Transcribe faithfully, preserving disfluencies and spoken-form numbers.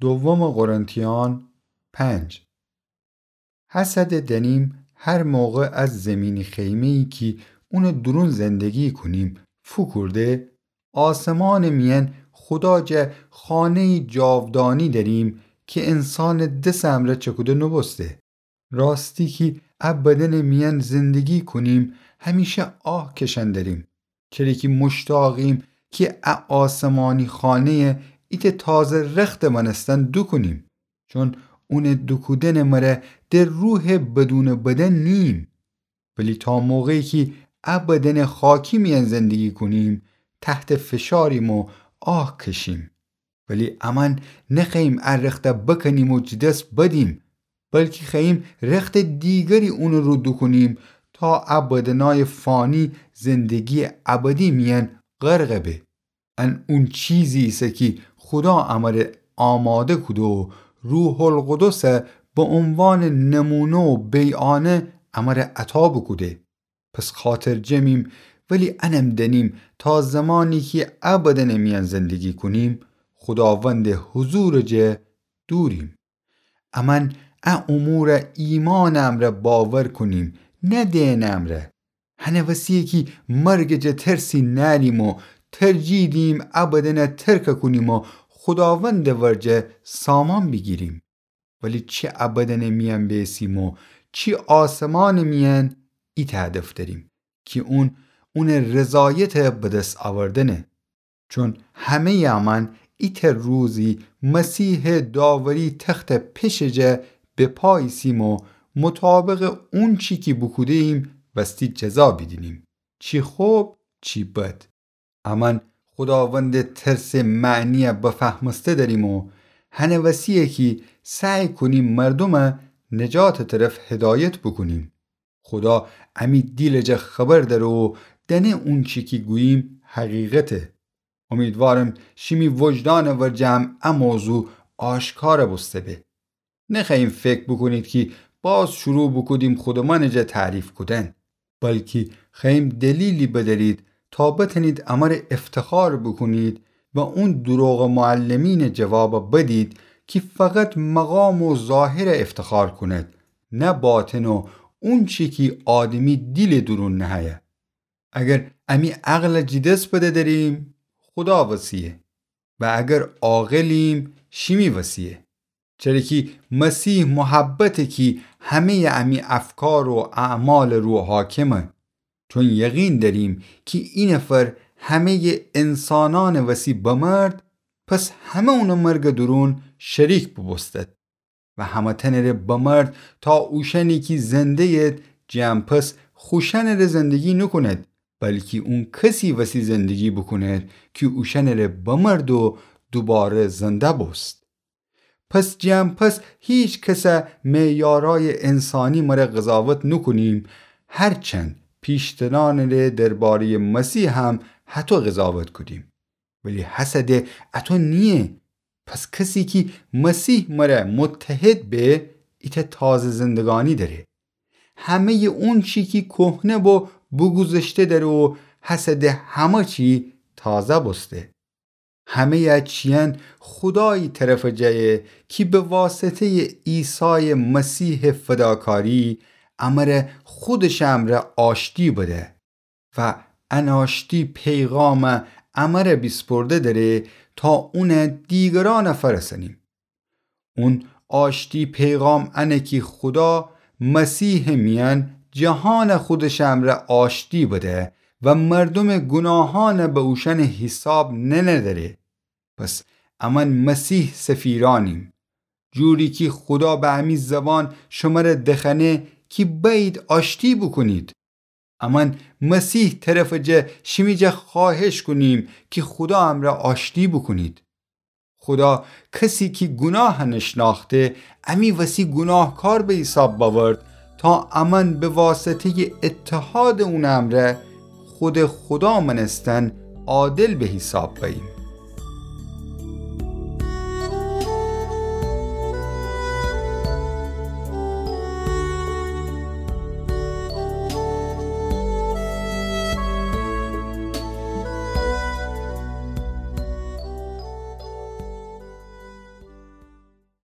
دوم قرنتیان پنج. هسه ده دأنیم هر موقع از زیمینی خیمه‌یی کی اونٚ دورون زندگی کونیم فوکورده، آسمانٚ میأن خودا جا خانه‌یی جاودانی دأریم کی انسانٚ دسٚ امرأ چکوده نوبوسته. راستی کی ا بدنٚ میأن زندگی کونیم، همیشه آه کشأن دریم، چره کی موشتاقیم کی ا آسمانی خانه‌یه ایتأ تازه رختٚ مأنستن دوکونیم. چون اونٚ دوکودنٚ مره ده روحٚ بدونٚ بدن نییم. ولی تا موقعی کی ا بدنٚ خاکی میأن زندگی کونیم، تحتٚ فشاریم و آه کشیم. ولی امأن نخوأییم ا رخته بکنیم و جٚه دس بدیم، بلکی خوأییم رختٚ دیگری اونٚ رو دوکونیم تا ا بدنأیٚ فانی زندگی‌یٚ ابدی میأن غرق به. ان اون چیزی ایسه کی خودا امره آماده کوده و روح‌القدسه به عنوانٚ نمونه و بیعانه امره عطا بوکوده. پس خاطرجمیم، ولی انم دأنیم تا زمانی کی ا بدنٚ میأن زندگی کونیم، خوداوندٚ حضورٚ جا دوریم. امأن ا اموره ایمانٚ امرأ باور کونیم، نه دئنٚ امرأ. هنٚ وسی‌یه کی مرگٚ جا ترسی نأریم و ترجیح دییم ا بدنه ترک کونیم و خوداوندٚ ورجه سامان بیگیریم. ولی چی ا بدنٚ میأن بیسیم و چی آسمانٚ میأن، ایتأ هدف دأریم کی اون، اونٚ رضایته به دس اوردنه. چون همه‌یٚ امأن ایتأ روزی مسیحٚ داوری تختٚ پشٚ جا به پا ایسیم و مطابقٚ اونچی کی بوکوده‌ییم وستی جزا بیدینیم، چی خب چی بد. امأن خوداوندٚ ترسٚ معنی‌یه بفهمسته دأریم و هنٚ وسی‌یه کی سعی کونیم مردومه نجاتٚ طرف هدایت بوکونیم. خودا امی دیلٚ جا خبر دأره و دأنه اونچی کی گوییم حقیقته. امیدوارم شیمی وجدانٚ ورجه هم ا موضوع آشکار بوسته به. نخوأییم فکر بوکونید کی باز شروع بوکودیم خودمأنٚ جا تعریف کودن، بلکی خوأییم دلیلی بدأرید تا بتأنید امره افتخار بوکونید و اون دروغٚ معلمینٚ جواب بدید کی فقط مقام و ظاهره افتخار کونید، نه باطن و اونچی کی آدمی دیلٚ دورون نهه‌یه. اگر امی عقل جٚه دس بده دأریم، خودا وسی‌یه، و اگر عاقلیم، شیمی وسی‌یه. چره کی مسیح محبته کی همه‌یٚ امی افکار و اعمالٚ رو حاکمه. چون یقین دأریم کی اینفر همه‌یٚ انسانأنٚ وسی بمرد، پس همه اونٚ مرگٚ دورون شریک بوبوستد. و همه‌تأنٚره بمرد تا اوشأنی کی زنده‌ید، جٚه ان پس خوشأنٚره زندگی نوکوند، بلکی اون کسی وسی زندگی بوکوند کی اوشأنٚره بمرد و دوباره زنده بوست. پس جٚه ان پس هیکسه معیارأیٚ انسانی مره قضاوت نوکونیم، هرچند پیشترأنٚره درباره‌یٚ مسیح هم هطو قضاوت کودیم. ولی هسه ده اطو نییه. پس کسی کی مسیح مره متحد به، ایتأ تازه زندگانی دأره. همه‌یٚ اونچی کی کهنه بو بوگوذشته دأره و هسه ده همه چی تازه بوسته. همه‌یٚ ا چیأن خودایی طرفٚ جایه کی به واسطه‌یٚ عیسایٚ مسیحٚ فداکاری امره خودشٚ امرأ آشتی بده. و ان آشتی پیغام امره بیسپرده دأره تا اون دیگرأن فرسأنیم. اون آشتی پیغام انه کی خودا مسیحٚ میأن جهان خودشٚ امرأ آشتی بده و مردومٚ گوناهأن به اوشأنٚ حیساب ننه دأره. پس امأن مسیح سفیرأنیم. جوری کی خودا به امی زبان شمره دخأنه کی بأیید آشتی بوکونید. امأن مسیح طرفٚ جا شیمی جا خوأهش کونیم کی خودا امرأ آشتی بوکونید. خودا کسی کی گوناه نشنأخته، امی وسی گوناهکار به حیساب بأورد تا امأن به واسطه‌یٚ اتحادٚ اونٚ امرأ خودٚ خودا مأنستن عادل به حیساب بأییم.